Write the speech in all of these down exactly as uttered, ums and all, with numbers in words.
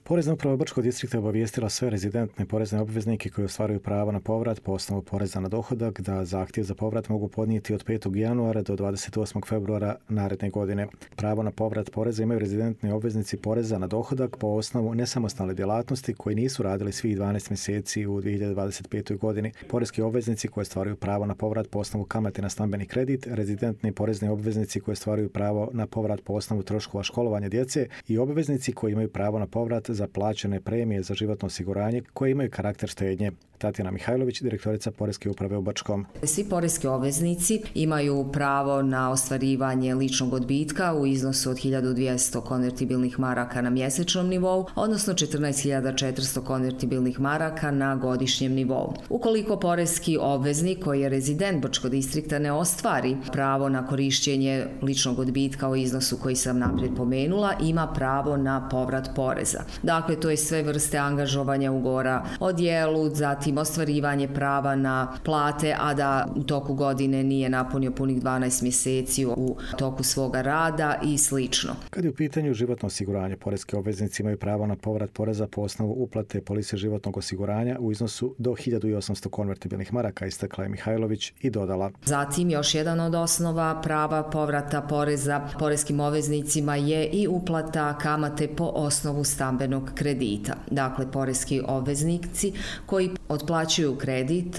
Porezna uprava Brčkog distrikta obavijestila sve rezidentne porezne obveznike koji ostvaruju pravo na povrat po osnovu poreza na dohodak da zahtjev za povrat mogu podnijeti od petog januara do dvadeset osmog februara naredne godine. Pravo na povrat poreza imaju rezidentni obveznici poreza na dohodak po osnovu nesamostalne djelatnosti koji nisu radili svih dvanaest mjeseci u dvije hiljade dvadeset petoj godini. Poreski obveznici koji ostvaruju pravo na povrat po osnovu kamate na stambeni kredit, rezidentni porezni obveznici koji ostvaruju pravo na povrat po osnovu troškova školovanja djece i obveznici koji imaju pravo na povrat za plaćene premije za životno osiguranje koje imaju karakter štednje. Tatjana Mihajlović, direktorica Poreske uprave u Brčkom. Svi poreski obveznici imaju pravo na ostvarivanje ličnog odbitka u iznosu od hiljadu dvjesto konvertibilnih maraka na mjesečnom nivou, odnosno četrnaest hiljada četiristo konvertibilnih maraka na godišnjem nivou. Ukoliko poreski obveznik koji je rezident Brčkog distrikta ne ostvari pravo na korištenje ličnog odbitka u iznosu koji sam naprijed pomenula, ima pravo na povrat poreza. Dakle, to je sve vrste angažovanja ugovora o djelu, zatim ostvarivanje prava na plate, a da u toku godine nije napunio punih dvanaest mjeseci u toku svoga rada i slično. Kad je u pitanju životno osiguranje, poreski obveznici imaju pravo na povrat poreza po osnovu uplate polise životnog osiguranja u iznosu do hiljadu osamsto konvertibilnih maraka, istakla je Mihajlović i dodala. Zatim, još jedan od osnova prava povrata poreza poreskim obveznicima je i uplata kamate po osnovu stambenog kredita. Dakle, poreski obveznici koji otplaćuju kredit,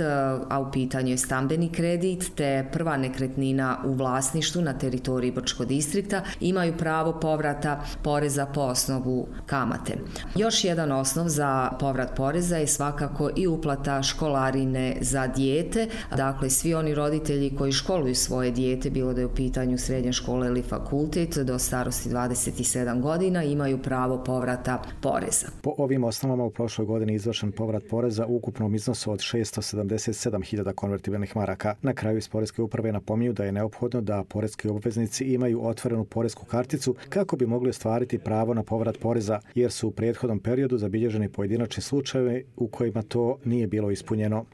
a u pitanju je stambeni kredit, te prva nekretnina u vlasništvu na teritoriji Brčkog distrikta, imaju pravo povrata poreza po osnovu kamate. Još jedan osnov za povrat poreza je svakako i uplata školarine za dijete. Dakle, svi oni roditelji koji školuju svoje dijete, bilo da je u pitanju srednja škola ili fakultet, do starosti dvadeset sedam godina, imaju pravo povrata poreza. Po ovim osnovama u prošloj godini izvršen povrat poreza u ukupnom iznosu od šesto sedamdeset sedam hiljada konvertibilnih maraka. Na kraju iz Poreske uprave napominju da je neophodno da poreski obveznici imaju otvorenu poresku karticu kako bi mogli ostvariti pravo na povrat poreza, jer su u prethodnom periodu zabilježeni pojedinačni slučajevi u kojima to nije bilo ispunjeno.